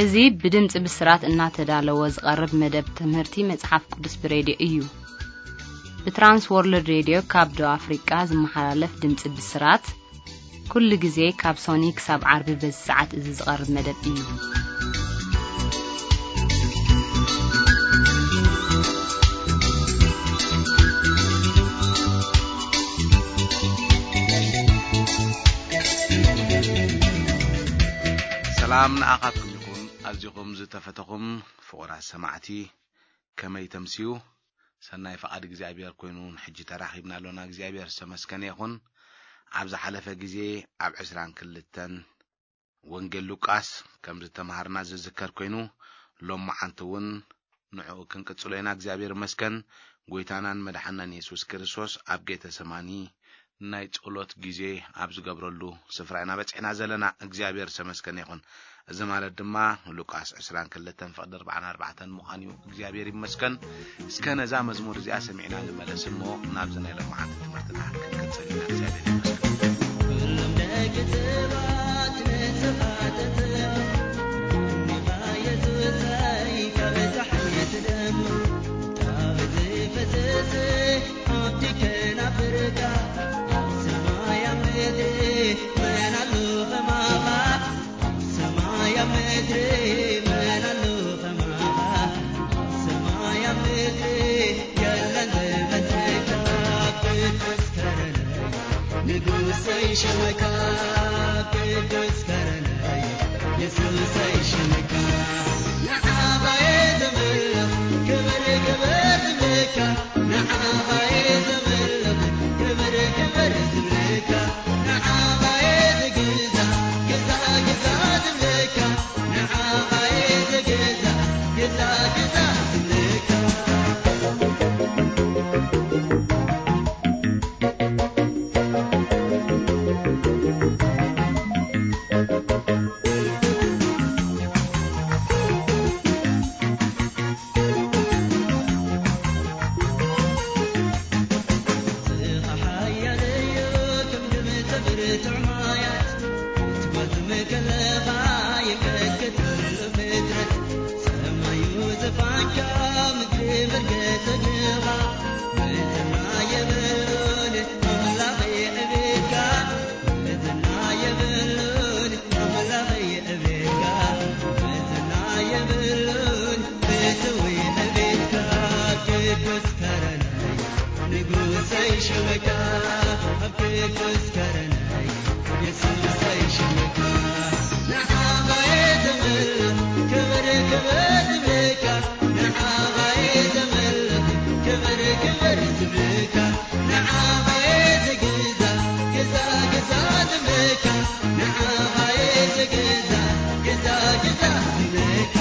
እዚ ብድምጺ ብስራት እናተዳለወ ዝቐርብ መደብ ትምህርቲ መጽሓፍ ቅዱስ ብሬድዮ እዩ። ብትራንስ ወርልድ ሬድዮ ካብ ደቡብ ኣፍሪቃ ዝመሓላለፍ ድምጺ ብስራት፣ ኩሉ ግዜ ካብ ሶኒ ክሳብ ዓርቢ በዚ ሰዓት እዚ ዝቐርብ መደብ እዩ። ሰላም ንኣኻትኩም ይኹን። ኣዚኹም ዝተፈተኹም ፍቑራት ሰማዕቲ፣ ከመይ ተምስዩ? ሰናይ ፍቓድ እግዚኣብሔር ኮይኑ ንሕጂ ተራኺብና ኣሎና። እግዚኣብሔር ዝተመስገነ ይኹን። ኣብ ዝሓለፈ ግዜ ኣብ ዕስራን ክልተን ወንጌል ሉቃስ ከም ዝተምሃርና ዝዝከር ኮይኑ፣ ሎመዓንቲ እውን ንዕኡ ክንቅጽሎ ኢና። እግዚኣብሔር ይመስገን። ጐይታናን መድሓናን የሱስ ክርስቶስ ኣብ ጌተሰማኒ ናይ ጸሎት ግዜ ኣብ ዝገብረሉ ስፍራ ኢና በጺሕና ዘለና። እግዚኣብሔር ዝተመስገነ ይኹን። እዚ ማለት ድማ ሉቃስ ዕስራን ክልተን ፍቕዲ ኣርባዓን ኣርባዕተን ምዃን እዩ። እግዚኣብሔር ይመስገን። እስከ ነዛ መዝሙር እዚኣ ሰሚዕና ንመለስ እሞ ናብዚ ናይ ሎመዓንቲ ትምህርትና ክንቅጽል ኢና። እግዚኣብሔር ይመስገን። ኩሎም ደቂ ሰባት ንስኻ ተትም፣ ንኻ የሱሰይ ካብ ጸሓይ ትደም፣ ካብ ዝፈስስ ሃብቲ ከናፍርካ፣ ኣብ ሰማይ ኣብ ምድሪ መን ኣሎ ከማኻ? ኣብ ሰማይ ኣብ ምድሪ መን ኣሎ ከማኻ? ኣብ ሰማይ ኣብ ምድሪ የለን ዝመስለካ። ቅዱስ ከረነይ ንጉሰይ ሽመካ፣ ቅዱስ ከረነይ የሱሰይ ሽመካ። ንዓኻ እየ ዘምልኽ ክብሪ ክብሪ ዝብለካ፣ ንዓኻ እየ ዘምልኽ ክብሪ ክብሪ ዝብለካ፣ ንዓኻ እየ ዝግዛእ ግዛእ ግዛእ ዝብለካ፣ ንዓኻ እየ ዝግዛእ ግዛእ ግዛእ ዝብለካ።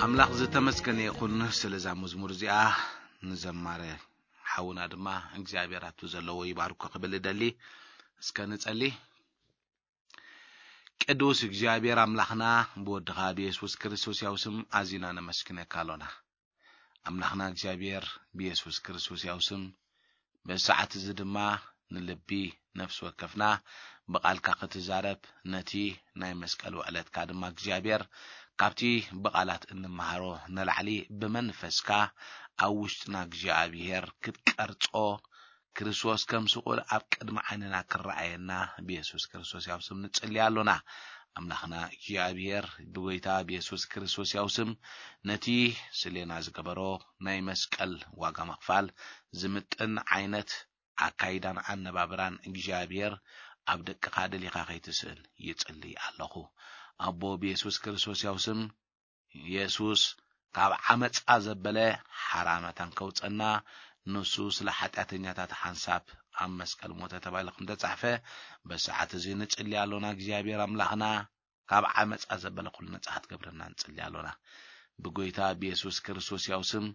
ኣምላኽ ዝተመስገነ ይኹን ስለ እዛ መዝሙር እዚኣ። ንዘማረ ሓውና ድማ እግዚኣብሔር ኣብቲ ዘለዎ ይባርኮ ክብል እደሊ። እስከ ንጸሊ። ቅዱስ እግዚኣብሔር ኣምላኽና፣ ብወድኻ ብየሱስ ክርስቶስ ያው ስም ኣዚና ነመስግነካ ኣሎና። ኣምላኽና እግዚኣብሔር፣ ብየሱስ ክርስቶስ ያው ስም በዚ ሰዓት እዚ ድማ ንልቢ ነፍሲ ወከፍና ብቓልካ ክትዛረብ፣ ነቲ ናይ መስቀል ውዕለትካ ድማ እግዚኣብሔር ካብቲ ብቓላት እንመሃሮ ንላዕሊ ብመንፈስካ ኣብ ውሽጥና እግዚኣብሔር ክትቀርጾ፣ ክርስቶስ ከም ስቑል ኣብ ቅድሚ ዓይንና ክረኣየና ብየሱስ ክርስቶስ ያው ስም ንጽሊ ኣሎና። ኣምላኽና እግዚኣብሔር፣ ብጎይታ ብየሱስ ክርስቶስ ያው ስም ነቲ ስሌና ዝገበሮ ናይ መስቀል ዋጋ ምኽፋል ዝምጥን ዓይነት ኣካይዳን ኣነባብራን እግዚኣብሔር ኣብ ደቅኻ ደሊኻ ከይትስእን ይጽሊ ኣለኹ። ኣቦ ብየሱስ ክርስቶስ ያው ስም፣ የሱስ ካብ ዓመጻ ዘበለ ሓራ መታን ከውጸና፣ ንሱ ስለ ሓጢኣተኛታት ሓንሳብ ኣብ መስቀል ሞተ ተባሂሉ ከም ተጻሕፈ፣ በሰዓት እዚ ንጽሊ ኣሎና። እግዚኣብሔር ኣምላኽና፣ ካብ ዓመጻ ዘበለ ኩሉ ነጻ ክትገብረና ንጽሊ ኣሎና። ብጎይታ ብየሱስ ክርስቶስ ያው ስም፣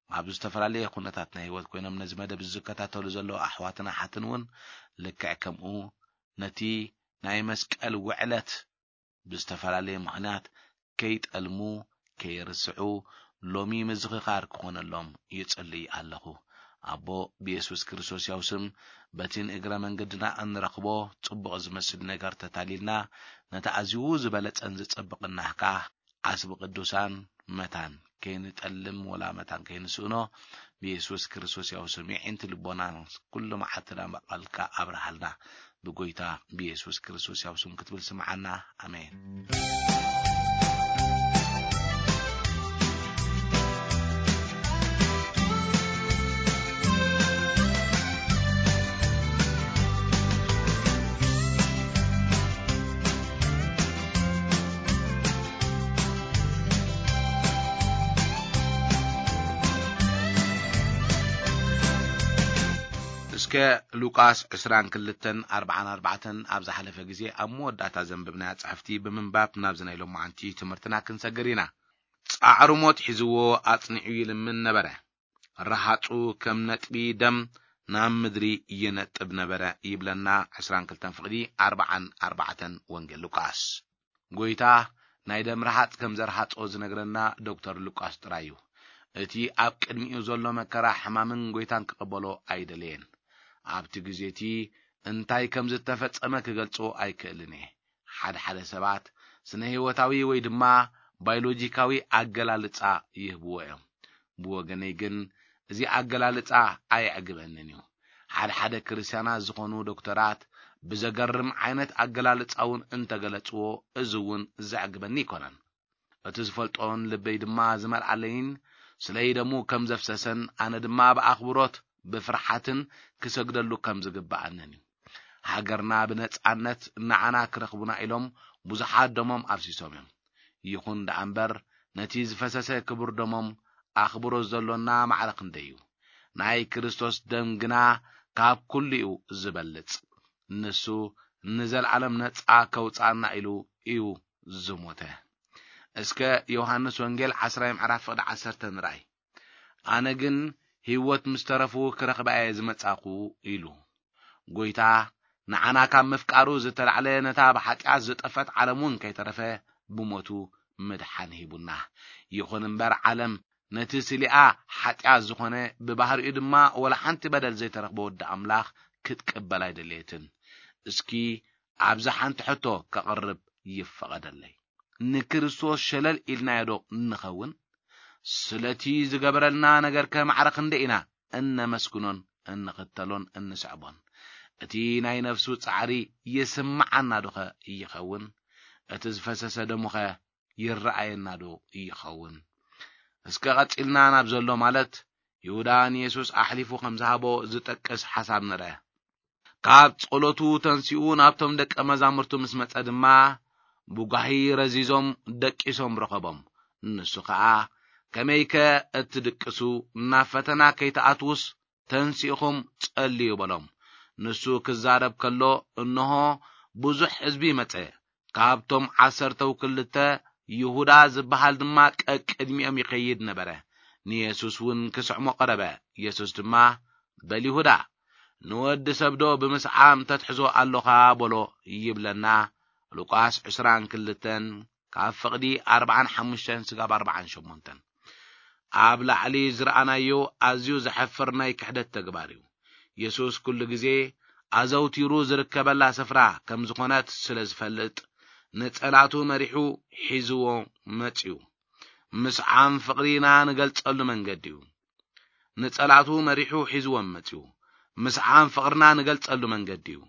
ኣብ ዝተፈላለየ ኩነታት ናይ ህይወት ኮይኖም ነዚ መደብ ዝከታተሉ ዘለዉ ኣሕዋትን ኣሓትን እውን ልክዕ ከምኡ ነቲ ናይ መስቀል ውዕለት ብዝተፈላለየ ምኽንያት ከይጠልሙ፣ ከይርስዑ፣ ሎሚ ምዝኽኻር ክኾነሎም ይጽልይ ኣለኹ። ኣቦ፣ ብየሱስ ክርስቶስ ያው ስም፣ በቲ ንእግረ መንገድና እንረኽቦ ጽቡቕ ዝመስል ነገር ተታሊልና፣ ነቲ ኣዝዩ ዝበለጸን ዝጸብቕን ናህካ ዓስቢ ቅዱሳን መታን ከይንጠልም ወላ መታን ከይንስእኖ፣ ብየሱስ ክርስቶስ ያው ስም የዒንቲ ልቦና ኩሉ መዓልትና መቓልካ ኣብርሃልና። ብጎይታ ብየሱስ ክርስቶስ ያው ስም ክትብል ስምዓና። ኣሜን። እስከ ሉቃስ ዕስራን ክልተን ኣርብዓን ኣርባዕተን ኣብ ዝሓለፈ ግዜ ኣብ መወዳእታ ዘንበብናያ ጽሕፍቲ ብምንባብ ናብዚ ናይ ሎማዓንቲ ትምህርትና ክንሰግር ኢና። ጻዕሩ ሞት ሒዝዎ ኣጽኒዑ ይልምን ነበረ። ረሃጹ ከም ነጥቢ ደም ናብ ምድሪ ይነጥብ ነበረ ይብለና ዕስራን ክልተን ፍቕዲ ኣርብዓን ኣርባዕተን ወንጌል ሉቃስ። ጎይታ ናይ ደም ረሃጽ ከም ዘርሃጾ ዝነግረና ዶክተር ሉቃስ ጥራይ እዩ። እቲ ኣብ ቅድሚኡ ዘሎ መከራ ሕማምን ጎይታን ክቕበሎ ኣይደለየን። ኣብቲ ግዜ እቲ እንታይ ከም ዝተፈጸመ ክገልጾ ኣይክእልን እየ። ሓደ ሓደ ሰባት ስነ ህይወታዊ ወይ ድማ ባዮሎጂካዊ ኣገላልጻ ይህብዎ እዮም። ብወገነይ ግን እዚ ኣገላልጻ ኣየዕግበንን እዩ። ሓደ ሓደ ክርስትያናት ዝኾኑ ዶክተራት ብዘገርም ዓይነት ኣገላልጻ እውን እንተገለጽዎ፣ እዚ እውን ዘዕግበኒ ኣይኮነን። እቲ ዝፈልጦን ልበይ ድማ ዝመልኣለይን ስለይ ደሙ ከም ዘፍሰሰን ኣነ ድማ ብኣኽብሮት ብፍርሓትን ክሰግደሉ ከም ዝግብኣንን እዩ። ሃገርና ብነጻነት ንዓና ክረኽቡና ኢሎም ብዙሓት ደሞም ኣፍሲሶም እዮም። ይኹን ደኣ እምበር ነቲ ዝፈሰሰ ክቡር ደሞም ኣኽብሮት ዘሎና ማዕረ ክንደይ እዩ። ናይ ክርስቶስ ደም ግና ካብ ኩሉ እዩ ዝበልጽ። ንሱ ንዘለዓለም ነጻ ከውጽኣና ኢሉ እዩ ዝሞተ። እስከ ዮሃንስ ወንጌል ዓስራይ ምዕራፍ ፍቕዲ ዓሰርተ ንርኣይ። ኣነ ግን ህይወት ምስ ተረፉ ክረኽባ እየ ዝመጻኹ ኢሉ። ጎይታ ንዓና ካብ ምፍቃሩ ዝተላዕለ ነታ ብሓጢኣት ዝጠፈት ዓለም እውን ከይተረፈ ብሞቱ ምድሓን ሂቡና። ይኹን እምበር ዓለም ነቲ ስሊኣ ሓጢኣት ዝኾነ ብባህሪኡ ድማ ወላ ሓንቲ በደል ዘይተረኽቦ ወዲ ኣምላኽ ክትቅበል ኣይደለየትን። እስኪ ኣብዚ ሓንቲ ሕቶ ከቕርብ ይፈቐደለይ። ንክርስቶስ ሸለል ኢልናዮ ዶ ንኸውን? ስለቲ ዝገበረልና ነገር ከማዕረ ክንደይ ኢና እነመስግኖን እንኽተሎን እንስዕቦን። እቲ ናይ ነፍሱ ጻዕሪ ይስምዓና ዶኸ ይኸውን? እቲ ዝፈሰሰ ደሙኸ ይረኣየና ዶ ይኸውን? እስከ ቀጺልና ናብ ዘሎ፣ ማለት ይሁዳ ንየሱስ ኣሕሊፉ ከም ዝሃቦ ዝጠቅስ ሓሳብ ንርአ። ካብ ጸሎቱ ተንሲኡ ናብቶም ደቀ መዛሙርቱ ምስ መጸ ድማ፣ ብጓሂ ረዚዞም ደቂሶም ረኸቦም። ንሱ ኸኣ፣ "ከመይከ እትድቅሱ? ናብ ፈተና ከይትኣትዉስ ተንሲእኹም ጸልዩ" በሎም። ንሱ ክዛረብ ከሎ፣ እንሆ፣ ብዙሕ ህዝቢ መጸ። ካብቶም ዓሰርተው ክልተ፣ ይሁዳ ዝበሃል ድማ ቀቅድሚኦም ይኸይድ ነበረ። ንየሱስ እውን ክስዕሞ ቀረበ። የሱስ ድማ፣ "በል ይሁዳ፣ ንወዲ ሰብዶ ብምስዓም ተትሕዞ ኣሎኻ?" በሎ ይብለና። ሉቃስ ዕስራን ክልተን፣ ካብ ፍቕዲ ኣርባዓን ሓሙሽተን ስጋብ ኣርባዓን ሸሞንተን። ኣብ ላዕሊ ዝረኣናዮ ኣዝዩ ዘሐፍር ናይ ክሕደት ተግባር እዩ። የሱስ ኩሉ ግዜ ኣዘውቲሩ ዝርከበላ ስፍራ ከም ዝኾነት ስለ ዝፈልጥ፣ ንጸላቱ መሪሑ ሒዝዎ መጺኡ። ምስዓም ፍቕሪና ንገልጸሉ መንገዲ እዩ። ንጸላቱ መሪሑ ሒዝዎም መጺኡ። ምስዓም ፍቕርና ንገልጸሉ መንገዲ እዩ።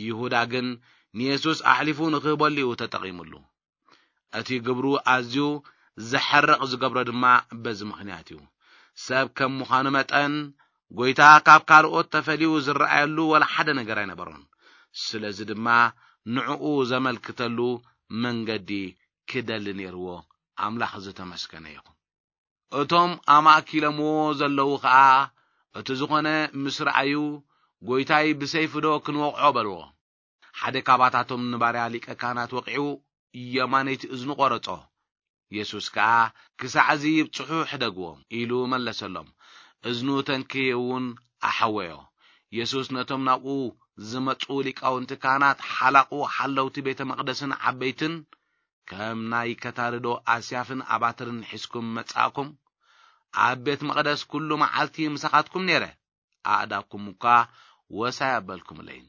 ይሁዳ ግን ንየሱስ ኣሕሊፉ ንኽህበሉ እዩ ተጠቒሙሉ። እቲ ግብሩ ኣዝዩ ዘሐርቕ ዝገብሮ ድማ በዚ ምኽንያት እዩ። ሰብ ከም ምዃኑ መጠን፣ ጐይታ ካብ ካልኦት ተፈልዩ ዝረኣየሉ ወላ ሓደ ነገር ኣይነበሮን። ስለዚ ድማ ንዕኡ ዘመልክተሉ መንገዲ ክደሊ ነይርዎ። ኣምላኽ ዝተመስገነ ይኹን። እቶም ኣማእኪሎምዎ ዘለዉ ኸኣ፣ እቲ ዝኾነ ምስ ረኣዩ፣ "ጐይታይ፣ ብሰይፊ ዶ ክንወቕዖ?" በልዎ። ሓደ ካባታቶም ንባርያ ሊቀ ካህናት ወቒዑ የማነይቲ እዝኑ ቈረጾ። የሱስ ከኣ፣ "ክሳዕ እዚ ይብጽሑ ሕደግዎም" ኢሉ መለሰሎም። እዝኑ ተንክዩ እውን ኣሐወዮ። የሱስ ነቶም ናብኡ ዝመጹ ሊቃውንቲ ካህናት፣ ሓላቑ ሓለውቲ ቤተ መቕደስን ዓበይትን፣ "ከም ናይ ከታርዶ ኣስያፍን ኣባትርን ሒዝኩም መጻእኩም? ኣብ ቤት መቕደስ ኩሉ መዓልቲ ምሳኻትኩም ነይረ፣ ኣእዳውኩም እኳ ወሳይ ኣበልኩምለይን።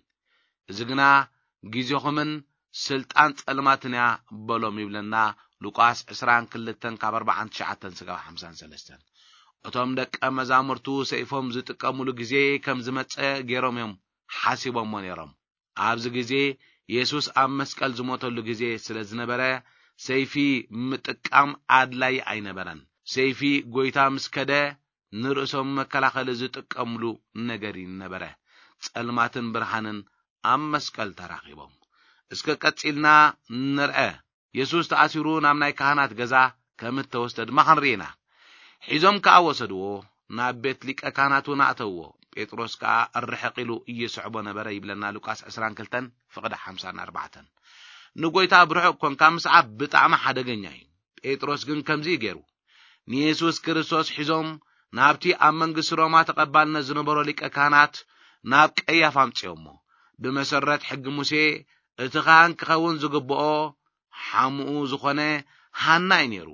እዚ ግና ግዜኹምን ስልጣን ጸልማትን እያ" በሎም ይብለና ሉቃስ ዕስራን ክልተን ካብ ኣርባዓን ትሽዓተን ስጋብ ሓምሳን ሰለስተን። እቶም ደቀ መዛሙርቱ ሰይፎም ዝጥቀሙሉ ግዜ ከም ዝመጸ ገይሮም እዮም ሓሲቦሞ ነይሮም። ኣብዚ ግዜ የሱስ ኣብ መስቀል ዝሞተሉ ግዜ ስለ ዝነበረ፣ ሰይፊ ምጥቃም ኣድላዪ ኣይነበረን። ሰይፊ ጐይታ ምስ ከደ፣ ንርእሶም መከላኸሊ ዝጥቀምሉ ነገር እዩ ነበረ። ጸልማትን ብርሃንን ኣብ መስቀል ተራኺቦም። እስከ ቀጺልና ንርአ። የሱስ ተኣሲሩ ናብ ናይ ካህናት ገዛ ከም እተወስደ ድማ ክንርኢ ኢና። ሒዞም ከኣ ወሰድዎ፣ ናብ ቤት ሊቀ ካህናት እውን ኣእተውዎ። ጴጥሮስ ከኣ ርሕቕ ኢሉ ይስዕቦ ነበረ ይብለና ሉቃስ ዕስራን ክልተን ፍቕዲ ሓምሳን ኣርባዕተን። ንጐይታ ብርሑቕ ኰንካ ምስዓብ ብጣዕሚ ሓደገኛ እዩ። ጴጥሮስ ግን ከምዚ እዩ ገይሩ። ንየሱስ ክርስቶስ ሒዞም ናብቲ ኣብ መንግስቲ ሮማ ተቐባልነት ዝነበሮ ሊቀ ካህናት ናብ ቀያፋ ኣምጽኦሞ። ብመሰረት ሕጊ ሙሴ እቲ ካህን ክኸውን ዝግብኦ ሓሙኡ ዝኾነ ሃና እዩ ነይሩ።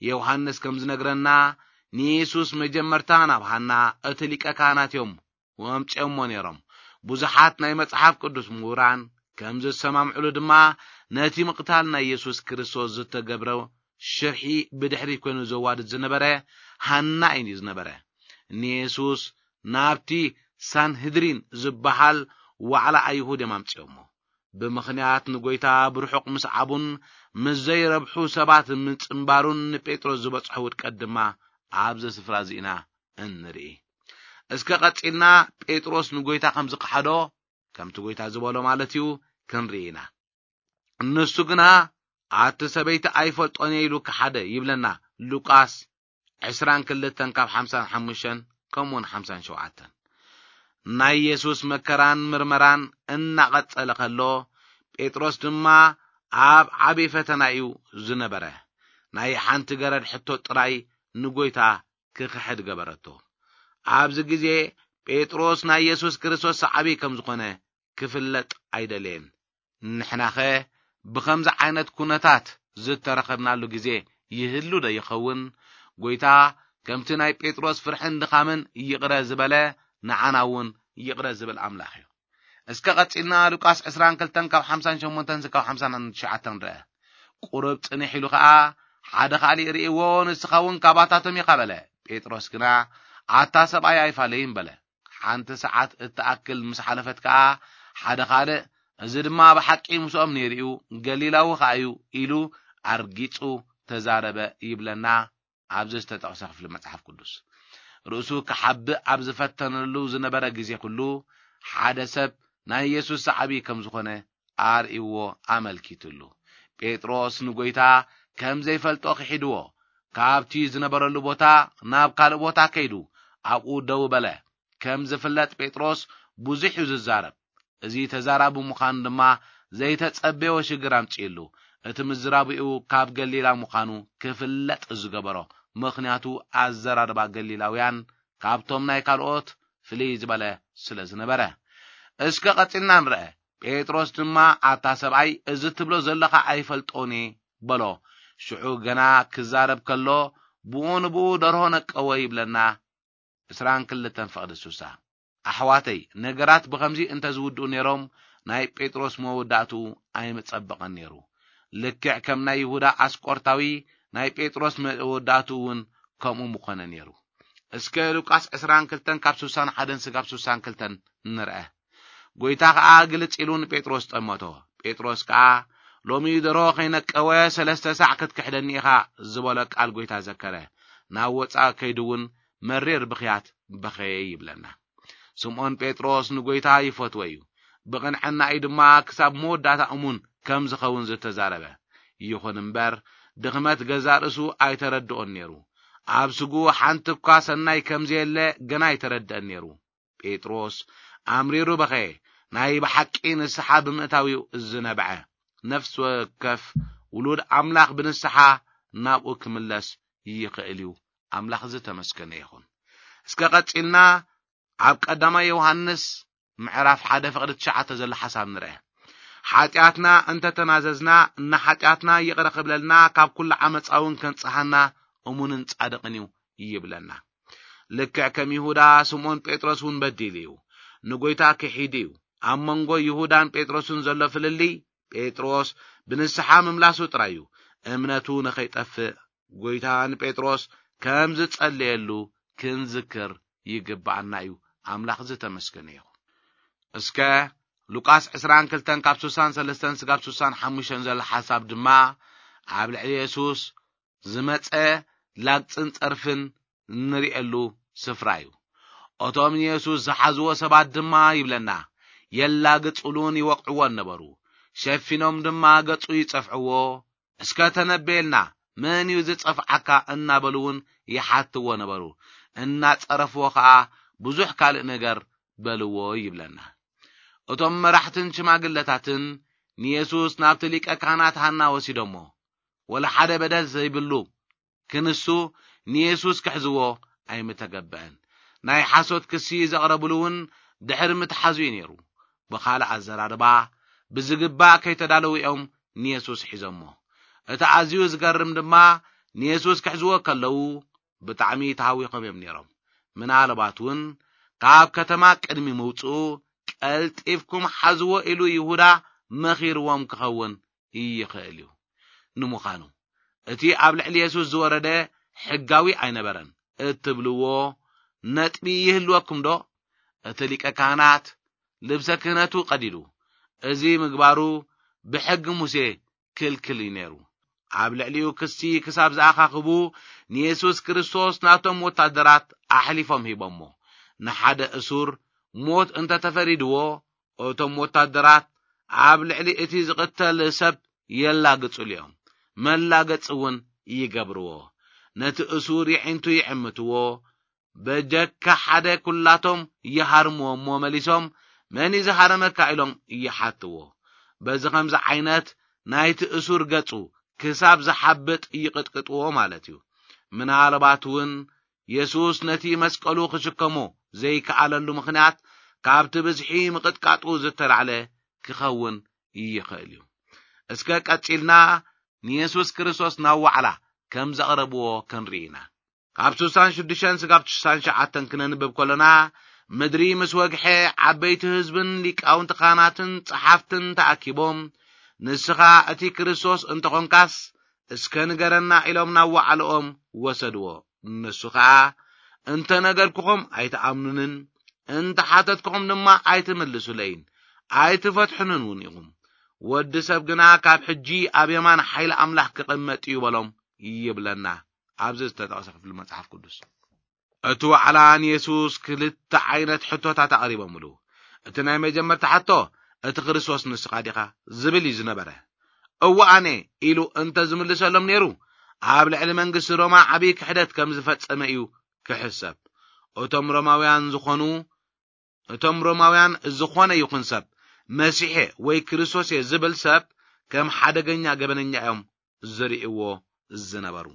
ዮሃንስ ከም ዝነግረና፣ ንየሱስ መጀመርታ ናብ ሃና እቲ ሊቀ ካህናት እዮም ኣምጺኦሞ ነይሮም። ብዙሓት ናይ መጽሓፍ ቅዱስ ምሁራን ከም ዝሰማምዕሉ ድማ፣ ነቲ ምቕታል ናይ የሱስ ክርስቶስ ዝተገብረ ሽርሒ ብድሕሪት ኮይኑ ዘዋድድ ዝነበረ ሃና እዩ ዝነበረ። ንየሱስ ናብቲ ሳንህድሪን ዝበሃል ዋዕላ ኣይሁድ እዮም ኣምጺኦሞ። ብምኽንያት ንጐይታ ብርሑቕ ምስዓቡን ምስ ዘይረብሑ ሰባት ምጽንባሩን ንጴጥሮስ ዝበጽሖ ውድቀት ድማ ኣብዚ ስፍራ እዚ ኢና እንርኢ። እስከ ቀጺልና ጴጥሮስ ንጐይታ ከም ዝኸሓዶ፣ ከምቲ ጐይታ ዝበሎ ማለት እዩ፣ ክንርኢ ኢና። ንሱ ግና፣ "ኣቲ ሰበይቲ ኣይፈልጦን እየ" ኢሉ ከሓደ ይብለና ሉቃስ ዕስራን ክልተን ካብ ሓምሳን ሓሙሽተን ከምኡውን ሓምሳን ሸውዓተን። ናይ የሱስ መከራን ምርመራን እናቐጸለ ከሎ፣ ጴጥሮስ ድማ ኣብ ዓቢ ፈተና እዩ ዝነበረ። ናይ ሓንቲ ገረድ ሕቶ ጥራይ ንጐይታ ክኽሕድ ገበረቶ። ኣብዚ ግዜ ጴጥሮስ ናይ የሱስ ክርስቶስ ሰዓቢ ከም ዝኾነ ክፍለጥ ኣይደለየን። ንሕናኸ ብኸምዚ ዓይነት ኩነታት ዝተረኸብናሉ ግዜ ይህሉ ዶ ይኸውን? ጐይታ ከምቲ ናይ ጴጥሮስ ፍርሕን ድኻምን ይቕረ ዝበለ፣ ንዓና እውን ይቕረ ዝብል ኣምላኽ እዩ። እስከ ቀጺልና ሉቃስ ዕስራን ክልተን ካብ ሓምሳን ሸሞንተን እስካብ ሓምሳን ትሽዓተን ንርአ። ቁሩብ ጽንሕ ኢሉ ኸኣ ሓደ ካልእ ርእይዎ፣ ንስኻ እውን ካባታቶም ኢኻ በለ። ጴጥሮስ ግና፣ ኣታ ሰብኣይ ኣይፋለይን በለ። ሓንቲ ሰዓት እትኣክል ምስ ሓለፈት ከኣ፣ ሓደ ካልእ፣ እዚ ድማ ብሓቂ ምስኦም ነይሩ እዩ፣ ገሊላዊ ከኣ እዩ ኢሉ ኣርጊጹ ተዛረበ ይብለና ኣብዚ ዝተጠቕሰ ክፍሊ መጽሓፍ ቅዱስ። ርእሱ ክሓብእ ኣብ ዝፈተነሉ ዝነበረ ግዜ ኩሉ፣ ሓደ ሰብ ናይ የሱስ ሰዓቢ ከም ዝኾነ ኣርእይዎ ኣመልኪትሉ። ጴጥሮስ ንጎይታ ከም ዘይፈልጦ ክሒድዎ፣ ካብቲ ዝነበረሉ ቦታ ናብ ካልእ ቦታ ከይዱ ኣብኡ ደው በለ። ከም ዝፍለጥ ጴጥሮስ ብዙሕ እዩ ዝዛረብ። እዚ ተዛራቢ ምዃኑ ድማ ዘይተጸበዮ ሽግር ኣምጺእሉ። እቲ ምዝራብኡ ካብ ገሊላ ምዃኑ ክፍለጥ ዝገበሮ፣ ምኽንያቱ ኣዘራርባ ገሊላውያን ካብቶም ናይ ካልኦት ፍልይ ዝበለ ስለ ዝነበረ። እስከ ቀጺልና ንርአ። ጴጥሮስ ድማ፣ ኣታ ሰብኣይ፣ እዚ ትብሎ ዘለኻ ኣይፈልጦን እየ በሎ። ሽዑ ገና ክዛረብ ከሎ፣ ብኡ ንብኡ ደርሆ ነቀወ ይብለና። ዕስራን ክልተን ፍቕዲ ሱሳ። ኣሕዋተይ፣ ነገራት ብኸምዚ እንተ ዝውድኡ ነይሮም፣ ናይ ጴጥሮስ መወዳእትኡ ኣይምጸበቐን ነይሩ። ልክዕ ከም ናይ ይሁዳ ኣስቆርታዊ፣ ናይ ጴጥሮስ መወዳእትኡ እውን ከምኡ ምኾነ ነይሩ። እስከ ሉቃስ ዕስራን ክልተን ካብ ሱሳን ሓደን ስጋብ ሱሳን ክልተን ንርአ። ጎይታ ኸኣ ግልጽ ኢሉ ንጴጥሮስ ጠመቶ። ጴጥሮስ ከኣ፣ ሎሚ ደሮ ከይነቀወ ሰለስተ ሳዕ ክትክሕደኒ ኢኻ ዝበሎ ቃል ጎይታ ዘከረ። ናብ ወጻኢ ከይዱ እውን መሪር ብኽያት በኸየ ይብለና። ስምዖን ጴጥሮስ ንጎይታ ይፈትዎ እዩ። ብቕንዕና እዩ ድማ ክሳብ መወዳእታ እሙን ከም ዝኸውን ዝተዛረበ። ይኹን እምበር፣ ድኽመት ገዛእ ርእሱ ኣይተረድኦን ነይሩ። ኣብ ስግኡ ሓንቲ እኳ ሰናይ ከም ዘየለ ገና ኣይተረድአን ነይሩ። ጴጥሮስ ኣምሪሩ በኸየ። ናይ ብሓቂ ንስሓ ብምእታዊኡ ዝነብዐ ነፍሲ ወከፍ ውሉድ ኣምላኽ ብንስሓ ናብኡ ክምለስ ይኽእል እዩ። ኣምላኽ ዝተመስገነ ይኹን። እስከ ቀጺልና ኣብ ቀዳማይ ዮሃንስ ምዕራፍ ሓደ ፍቕዲ ትሽዓተ ዘሎ ሓሳብ ንርአ። ሓጢኣትና እንተተናዘዝና፣ ንሓጢኣትና ይቕረ ክብለልና፣ ካብ ኩሉ ዓመጻ እውን ከንጽሃና እሙንን ጻድቕን እዩ ይብለና። ልክዕ ከም ይሁዳ፣ ስምዖን ጴጥሮስ እውን በዲሉ እዩ። ንጎይታ ክሒዱ እዩ። ኣብ መንጎ ይሁዳን ጴጥሮስን ዘሎ ፍልልይ፣ ጴጥሮስ ብንስሓ ምምላሱ ጥራይ እዩ፣ እምነቱ ንኸይጠፍእ። ጎይታ ንጴጥሮስ ከም ዝጸለየሉ ክንዝክር ይግብኣና እዩ። ኣምላኽ ዝተመስገነ ይኹን። እስከ ሉቃስ ዕስራን ክልተን ካብ ስሳን ሰለስተን ስጋብ ስሳን ሓሙሽተን ዘሎ ሓሳብ ድማ ኣብ ልዕሊ የሱስ ዝመጸ ላግጽን ጸርፍን እንርእየሉ ስፍራ እዩ። እቶም ንየሱስ ዝሓዝዎ ሰባት ድማ ይብለና፣ የላግጹሉን ይወቕዕዎን ነበሩ። ሸፊኖም ድማ ገጹ ይጸፍዕዎ። እስከ ተነበየልና፣ መን እዩ ዝጸፍዓካ? እናበሉ እውን ይሓትዎ ነበሩ። እናጸረፍዎ ኸኣ ብዙሕ ካልእ ነገር በልዎ ይብለና። እቶም መራሕትን ሽማግለታትን ንየሱስ ናብቲ ሊቀ ካህናት ሃና ወሲዶሞ። ወላ ሓደ በደል ዘይብሉ ክንሱ ንየሱስ ክሕዝዎ ኣይምተገበአን። ናይ ሓሶት ክሲ ዘቕረብሉ እውን ድሕሪ ምትሓዙ እዩ ነይሩ። ብኻልእ ኣዘራርባ፣ ብዝግባእ ከይተዳለዉ እዮም ንየሱስ ሒዞሞ። እቲ ኣዝዩ ዝገርም ድማ፣ ንየሱስ ክሕዝዎ ከለዉ ብጣዕሚ ተሃዊኾም እዮም ነይሮም። ምናልባት እውን ካብ ከተማ ቅድሚ ምውፅኡ ቀልጢፍኩም ሓዝዎ ኢሉ ይሁዳ መኺርዎም ክኸውን ይኽእል እዩ። ንምዃኑ እቲ ኣብ ልዕሊ የሱስ ዝወረደ ሕጋዊ ኣይነበረን እትብልዎ ነጥቢ ይህልወኩም ዶ? እቲ ሊቀ ካህናት ልብሰ ክህነቱ ቀዲዱ፣ እዚ ምግባሩ ብሕጊ ሙሴ ክልክል እዩ ነይሩ። ኣብ ልዕሊኡ ክሲ ክሳብ ዝኣኻኽቡ፣ ንየሱስ ክርስቶስ ናቶም ወታደራት ኣሕሊፎም ሂቦሞ። ንሓደ እሱር ሞት እንተተፈሪድዎ፣ እቶም ወታደራት ኣብ ልዕሊ እቲ ዝቕተል ሰብ የላግጹሉ እዮም። መላገጺ እውን ይገብርዎ። ነቲ እሱር የዒንቱ ይዕምትዎ። በጀካ ሓደ ኩላቶም ይሃርምዎ እሞ መሊሶም፣ "መን እዩ ዝሃረመካ?" ኢሎም ይሓትዎ። በዚ ኸምዚ ዓይነት ናይቲ እሱር ገጹ ክሳብ ዝሓብጥ ይቕጥቅጥዎ ማለት እዩ። ምናልባት እውን የሱስ ነቲ መስቀሉ ክሽከሞ ዘይከኣለሉ ምኽንያት ካብቲ ብዝሒ ምቕጥቃጡ ዝተላዕለ ክኸውን ይኽእል እዩ። እስከ ቀጺልና ንየሱስ ክርስቶስ ናብ ዋዕላ ከም ዘቕረብዎ ክንርኢ ኢና። ካብ ስሳን ሽዱሽተን ስጋብ ስሳን ሸዓተን ክነንብብ ከሎና፣ ምድሪ ምስ ወግሐ፣ ዓበይቲ ህዝብን ሊቃውንቲ ካህናትን ጸሓፍትን ተኣኪቦም፣ "ንስኻ እቲ ክርስቶስ እንተኾንካስ፣ እስከ ንገረና" ኢሎም ናብ ዋዕልኦም ወሰድዎ። ንሱ ኸኣ፣ "እንተ ነገርኩኹም ኣይትኣምኑንን፣ እንተ ሓተትኩኹም ድማ ኣይትምልሱለይን፣ ኣይትፈትሑንን እውን ኢኹም። ወዲ ሰብ ግና ካብ ሕጂ ኣብ የማን ሓይሊ ኣምላኽ ክቕመጥ እዩ" በሎም ይብለና ኣብዚ ዝተጠቕሰ ክፍሊ መጽሓፍ ቅዱስ። እቲ ዋዕላ ንየሱስ ክልተ ዓይነት ሕቶታት ኣቕሪቦምሉ። እቲ ናይ መጀመርታ ሕቶ፣ "እቲ ክርስቶስ ንስኻ ዲኻ?" ዝብል እዩ ዝነበረ። "እወ ኣነ" ኢሉ እንተ ዝምልሰሎም ነይሩ፣ ኣብ ልዕሊ መንግስቲ ሮማ ዓብዪ ክሕደት ከም ዝፈጸመ እዩ ክሕሰብ። እቶም ሮማውያን ዝኾኑ፣ እቶም ሮማውያን ዝኾነ ይኹን ሰብ፣ "መሲሕ ወይ ክርስቶስ እየ" ዝብል ሰብ ከም ሓደገኛ ገበነኛ እዮም ዝርእይዎ ዝነበሩ።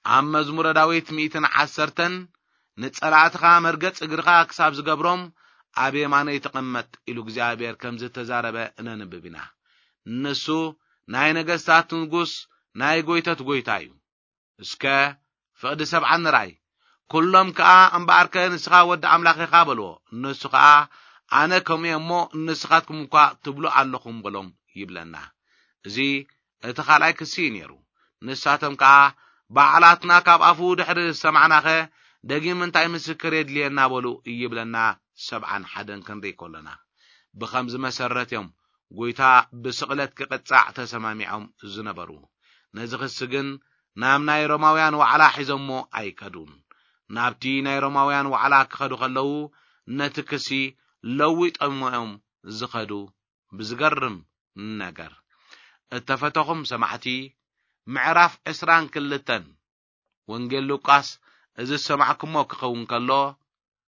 ኣብ መዝሙረ ዳዊት ሚእትን ዓሰርተን፣ "ንጸላእትኻ መርገጽ እግርኻ ክሳብ ዝገብሮም ኣብ የማነይ ተቐመጥ" ኢሉ እግዚኣብሔር ከም ዝተዛረበ እነንብብ ኢና። ንሱ ናይ ነገስታት ንጉስ፣ ናይ ጎይቶት ጎይታ እዩ። እስከ ፍቕዲ ሰብዓ ንርኣይ። "ኩሎም ከኣ እምበኣርከ ንስኻ ወዲ ኣምላኽ ኢኻ" በልዎ። ንሱ ከኣ፣ "ኣነ ከምኡ እየ እሞ ንስኻትኩም እኳ ትብሉ ኣለኹም" በሎም ይብለና። እዚ እቲ ካልኣይ ክሲ እዩ ነይሩ። ንሳቶም ከኣ፣ "ባዕላትና ካብ ኣፉ ድሕሪ ዝሰማዕናኸ ደጊም እንታይ ምስክር የድልየና?" በሉ ይብለና። ሰብዓን ሓደን ክንርኢ ከሎና፣ ብኸምዚ መሰረት እዮም ጎይታ ብስቕለት ክቕጻዕ ተሰማሚዖም ዝነበሩ። ነዚ ክሲ ግን ናብ ናይ ሮማውያን ዋዕላ ሒዞሞ ኣይከዱን። ናብቲ ናይ ሮማውያን ዋዕላ ክኸዱ ከለዉ፣ ነቲ ክሲ ለዊጦሞ እዮም ዝኸዱ። ብዝገርም ነገር፣ እተፈተኹም ሰማዕቲ፣ ምዕራፍ ዕስራን ክልተን ወንጌል ሉቃስ፣ እዚ ዝሰማዕኩሞ ክኸውን ከሎ፣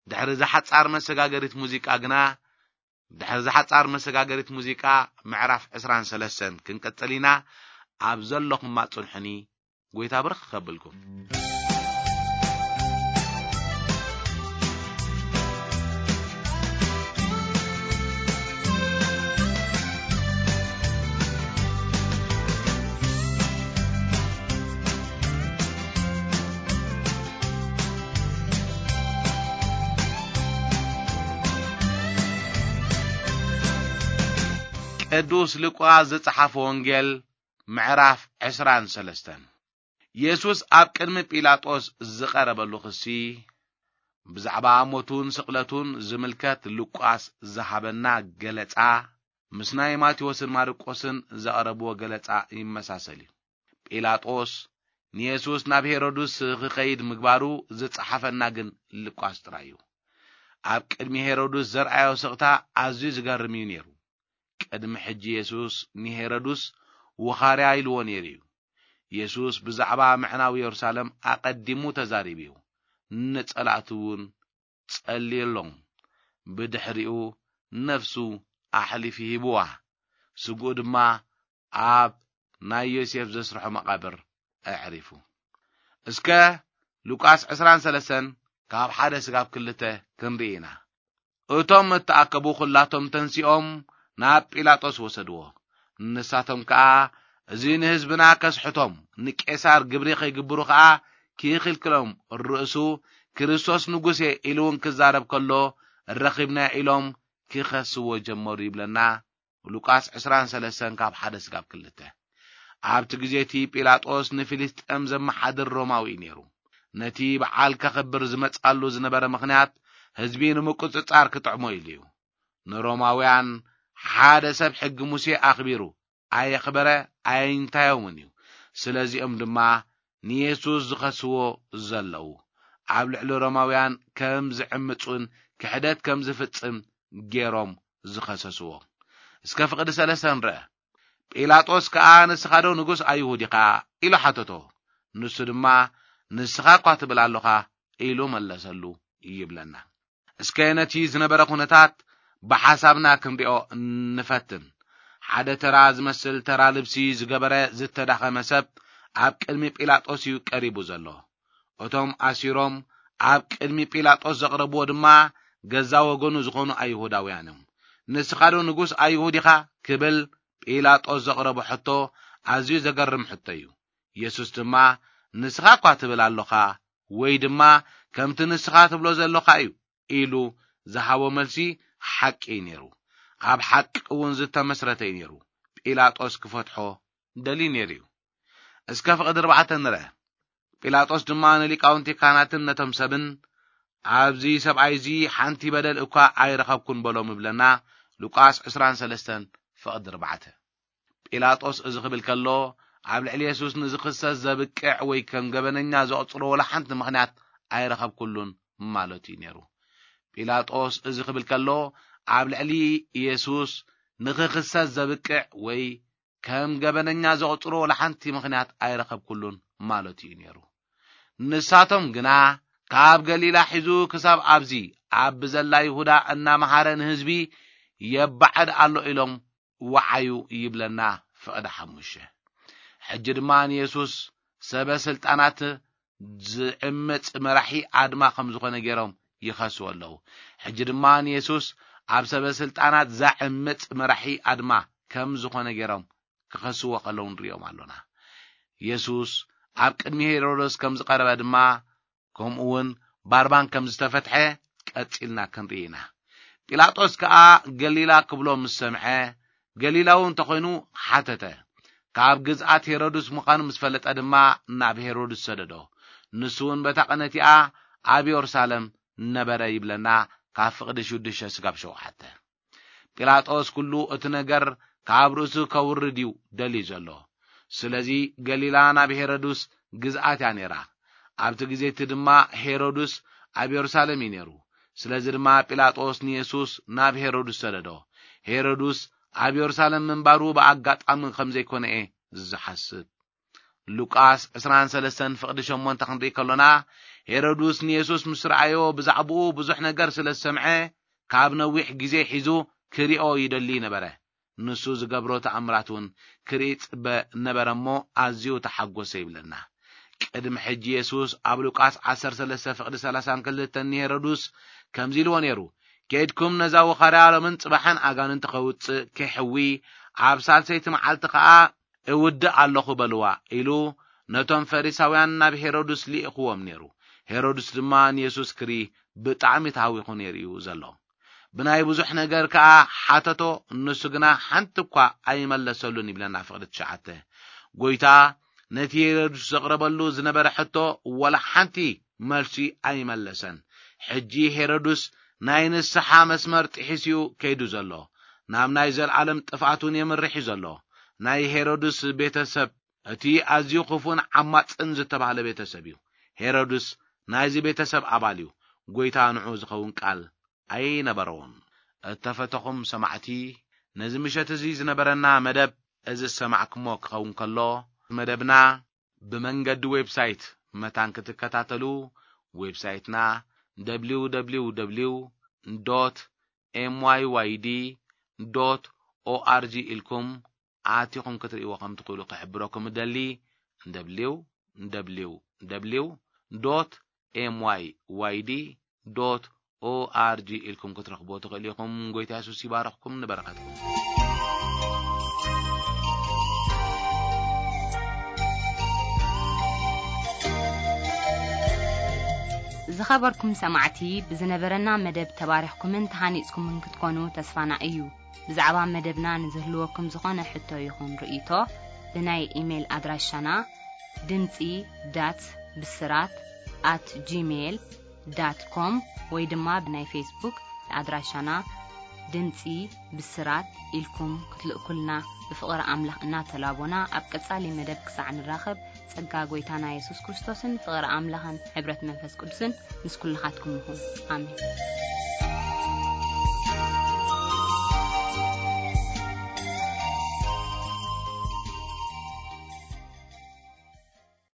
ድሕሪ እዛ ሓጻር መሰጋገሪት ሙዚቃ ግና፣ ድሕሪ እዛ ሓጻር መሰጋገሪት ሙዚቃ፣ ምዕራፍ ዕስራን ሰለስተን ክንቀጽል ኢና። ኣብ ዘለኹማ ጽንሑኒ፣ ጎይታ ብርኽ ከብልኩም። ቅዱስ ሉቃስ ዝጸሓፎ ወንጌል፣ ምዕራፍ ዕስራን ሰለስተን። የሱስ ኣብ ቅድሚ ጲላጦስ ዝቐረበሉ ክሲ፣ ብዛዕባ ሞቱን ስቕለቱን ዝምልከት ሉቃስ ዝሃበና ገለጻ፣ ምስ ናይ ማቴዎስን ማርቆስን ዘቕረብዎ ገለጻ ይመሳሰል እዩ። ጲላጦስ ንየሱስ ናብ ሄሮድስ ክኸይድ ምግባሩ ዝጸሓፈና ግን ሉቃስ ጥራይ እዩ። ኣብ ቅድሚ ሄሮድስ ዘርኣዮ ስቕታ ኣዝዩ ዝገርም እዩ ነይሩ። ቅድሚ ሕጂ የሱስ ንሄሮድስ ውኻርያ ኢልዎ ነይሩ እዩ። የሱስ ብዛዕባ ምዕናው የሩሳሌም ኣቐዲሙ ተዛሪቡ እዩ። ንጸላእቱ እውን ጸልየሎም። ብድሕሪኡ ነፍሱ ኣሕሊፉ ሂብዋ። ስግኡ ድማ ኣብ ናይ ዮሴፍ ዘስርሖ መቓብር ኣዕሪፉ። እስከ ሉቃስ ዕስራን ሰለስተን ካብ ሓደ ስጋብ ክልተ ክንርኢ ኢና። እቶም እተኣከቡ ኹላቶም ተንሲኦም ናብ ጲላጦስ ወሰድዎ። ንሳቶም ከኣ፣ "እዚ ንህዝብና ከስሕቶም፣ ንቄሳር ግብሪ ከይግብሩ ከኣ ክይኽልክሎም፣ ርእሱ ክርስቶስ ንጉስ እየ ኢሉ እውን ክዛረብ ከሎ ረኺብናዮ" ኢሎም ክኸስዎ ጀመሩ ይብለና ሉቃስ ዕስራን ሰለስተን ካብ ሓደ ስጋብ ክልተ። ኣብቲ ግዜ እቲ ጲላጦስ ንፊልስጤም ዘመሓድር ሮማዊ እዩ ነይሩ። ነቲ በዓል ከኽብር ዝመጽኣሉ ዝነበረ ምኽንያት ህዝቢ ንምቁጽጻር ክጥዕሞ ኢሉ እዩ። ንሮማውያን ሓደ ሰብ ሕጊ ሙሴ ኣኽቢሩ ኣየኽበረ ኣየንታዮምን እዩ። ስለዚኦም ድማ ንየሱስ ዝኸስዎ ዘለዉ፣ ኣብ ልዕሊ ሮማውያን ከም ዝዕምጹን ክሕደት ከም ዝፍጽም ገይሮም ዝኸሰስዎ። እስከ ፍቕዲ ሰለስተ ንርአ። ጲላጦስ ከኣ፣ "ንስኻ ዶ ንጉስ ኣይሁድ ኢኻ?" ኢሉ ሓተቶ። ንሱ ድማ፣ "ንስኻ እኳ ትብል ኣሎኻ" ኢሉ መለሰሉ ይብለና። እስከ ነቲ ዝነበረ ኩነታት ብሓሳብና ክንሪኦ ንፈትን። ሓደ ተራ ዝመስል ተራ ልብሲ ዝገበረ ዝተዳኸመ ሰብ ኣብ ቅድሚ ጲላጦስ እዩ ቀሪቡ ዘሎ። እቶም ኣሲሮም ኣብ ቅድሚ ጲላጦስ ዘቕረብዎ ድማ ገዛ ወገኑ ዝኾኑ ኣይሁዳውያን እዮም። "ንስኻ ዶ ንጉስ ኣይሁድ ኢኻ?" ክብል ጲላጦስ ዘቕረቦ ሕቶ ኣዝዩ ዘገርም ሕቶ እዩ። የሱስ ድማ፣ "ንስኻ እኳ ትብል ኣሎኻ፣ ወይ ድማ ከምቲ ንስኻ ትብሎ ዘሎኻ እዩ" ኢሉ ዝሃቦ መልሲ ሓቂ እዩ ነይሩ። ኣብ ሓቂ እውን ዝተመስረተ እዩ ነይሩ። ጲላጦስ ክፈትሖ ደልዩ ነይሩ እዩ። እስከ ፍቕዲ ኣርባዕተ ንርአ። ጲላጦስ ድማ ንሊቃውንቲ ካህናትን ነቶም ሰብን፣ "ኣብዚ ሰብኣይ እዚ ሓንቲ በደል እኳ ኣይረኸብኩን" በሎም ይብለና። ሉቃስ ዕስራን ሰለስተን ፍቕዲ ኣርባዕተ። ጲላጦስ እዚ ክብል ከሎ፣ ኣብ ልዕሊ የሱስ ንዝኽሰስ ዘብቅዕ ወይ ከም ገበነኛ ዘቑጽሮ ወላ ሓንቲ ምኽንያት ኣይረኸብኩሉን ማለቱ እዩ ነይሩ። ጲላጦስ እዚ ክብል ከሎ፣ ኣብ ልዕሊ የሱስ ንኽኽሰስ ዘብቅዕ ወይ ከም ገበነኛ ዘቑጽሮ ወላ ሓንቲ ምኽንያት ኣይረኸብኩሉን ማለቱ እዩ ነይሩ። ንሳቶም ግና፣ ካብ ገሊላ ሒዙ ክሳብ ኣብዚ ኣብ ብዘላ ይሁዳ እናመሃረ ንህዝቢ የባዕድ ኣሎ ኢሎም ወዓዩ ይብለና ፍቕዲ ሓሙሽተ። ሕጂ ድማ ንየሱስ ሰበ ስልጣናት ዝዕምጽ መራሒ ኣድማ ከም ዝኾነ ገይሮም ይኸስዎ ኣለዉ። ሕጂ ድማ ንየሱስ ኣብ ሰበ ስልጣናት ዘዕምጽ መራሒ ኣድማ ከም ዝኾነ ገይሮም ክኸስዎ ከለዉ ንሪኦም ኣሎና። የሱስ ኣብ ቅድሚ ሄሮዶስ ከም ዝቐረበ ድማ፣ ከምኡ እውን ባርባን ከም ዝተፈትሐ ቀጺልና ክንርኢ ኢና። ጲላጦስ ከኣ ገሊላ ክብሎ ምስ ሰምዐ፣ ገሊላዊ እንተኾይኑ ሓተተ። ካብ ግዝኣት ሄሮድስ ምዃኑ ምስ ፈለጠ ድማ ናብ ሄሮድስ ሰደዶ። ንሱ እውን በታ ቀነቲኣ ኣብ የሩሳሌም ነበረ ይብለና፣ ካብ ፍቕዲ ሽዱሽተ ስጋብ ሸውዓተ። ጲላጦስ ኩሉ እቲ ነገር ካብ ርእሱ ከውርድ እዩ ደልዩ ዘሎ። ስለዚ ገሊላ ናብ ሄሮድስ ግዝኣት እያ ነይራ። ኣብቲ ግዜ እቲ ድማ ሄሮድስ ኣብ የሩሳሌም እዩ ነይሩ። ስለዚ ድማ ጲላጦስ ንየሱስ ናብ ሄሮድስ ሰደዶ። ሄሮድስ ኣብ የሩሳሌም ምንባሩ ብኣጋጣሚ ከም ዘይኮነ እየ ዝሓስብ። ሉቃስ ዕስራን ሰለስተን ፍቕዲ ሸሞንተ ክንርኢ ከሎና፣ ሄሮድስ ንየሱስ ምስ ረኣዮ ብዛዕባኡ ብዙሕ ነገር ስለ ዝሰምዐ፣ ካብ ነዊሕ ግዜ ሒዙ ክሪኦ ይደሊ ነበረ። ንሱ ዝገብሮ ተኣምራት እውን ክርኢ ጽበ ነበረ እሞ ኣዝዩ ተሓጎሰ ይብለና። ቅድሚ ሕጂ የሱስ ኣብ ሉቃስ ዓሰርተ ሰለስተ ፍቕዲ ሰላሳን ክልተን ንሄሮድስ ከምዚ ኢልዎ ነይሩ፣ "ከይድኩም ነዛ ወኻርያ ሎምን ጽባሕን ኣጋንንቲ ከውጽእ ከይሕዊ፣ ኣብ ሳልሰይቲ መዓልቲ ከኣ እውድእ ኣለኹ በልዋ" ኢሉ ነቶም ፈሪሳውያን ናብ ሄሮድስ ልኢኽዎም ነይሩ። ሄሮድስ ድማ ንየሱስ ክርኢ ብጣዕሚ ተሃዊኹ ነይሩ እዩ ዘሎ። ብናይ ብዙሕ ነገር ከኣ ሓተቶ፣ ንሱ ግና ሓንቲ እኳ ኣይመለሰሉን ይብለና ፍቕዲ ትሽዓተ። ጎይታ ነቲ ሄሮድስ ዘቕረበሉ ዝነበረ ሕቶ ወላ ሓንቲ መልሲ ኣይመለሰን። ሕጂ ሄሮድስ ናይ ንስሓ መስመር ጥሒሱ እዩ ከይዱ ዘሎ። ናብ ናይ ዘለዓለም ጥፍኣት እውን የምርሕ እዩ ዘሎ። ናይ ሄሮድስ ቤተሰብ እቲ ኣዝዩ ክፉን ዓማጽን ዝተባህለ ቤተሰብ እዩ። ሄሮድስ ናይዚ ቤተሰብ ኣባል እዩ። ጎይታ ንዑ ዝኸውን ቃል ኣይነበረዎን። እተፈተኹም ሰማዕቲ፣ ነዚ ምሸት እዚ ዝነበረና መደብ እዚ ዝሰማዕኩሞ ክኸውን ከሎ፣ መደብና ብመንገዲ ዌብሳይት መታን ክትከታተሉ፣ ዌብሳይትና ደብሊው ደብሊው ደብሊው ዶት ኤም ዋይ ዋይ ዲ ዶት ኦ ኣር ጂ ኢልኩም ኣቲኹም ክትርእይዎ ከም ትኽእሉ ክሕብረኩም እደሊ። ደብሊው ደብሊው ደብሊው ዶት ኤም ዋይ ዋይ ዲ ዶት ኦ ኣር ጂ ኢልኩም ክትረኽብዎ ትኽእሉ ኢኹም። ጎይታ የሱስ ይባርኽኩም፣ ንበረኸትኩም። ዝኸበርኩም ሰማዕቲ፣ ብዝነበረና መደብ ተባሪኽኩምን ተሃኒጽኩምን ክትኮኑ ተስፋና እዩ። ብዛዕባ መደብና ንዝህልወኩም ዝኾነ ሕቶ ይኹን ርእይቶ፣ ብናይ ኢሜይል ኣድራሻና ድምጺ ዳት ብስራት ኣት ጂሜይል ዳት ኮም ወይ ድማ ብናይ ፌስቡክ ኣድራሻና ድምጺ ብስራት ኢልኩም ክትልእኩልና ብፍቕሪ ኣምላኽ እናተላቦና፣ ኣብ ቀጻሊ መደብ ክሳዕ ንራኸብ፣ ጸጋ ጎይታና የሱስ ክርስቶስን ፍቕሪ ኣምላኽን ሕብረት መንፈስ ቅዱስን ምስ ኩልኻትኩም ይኹን። ኣሜን።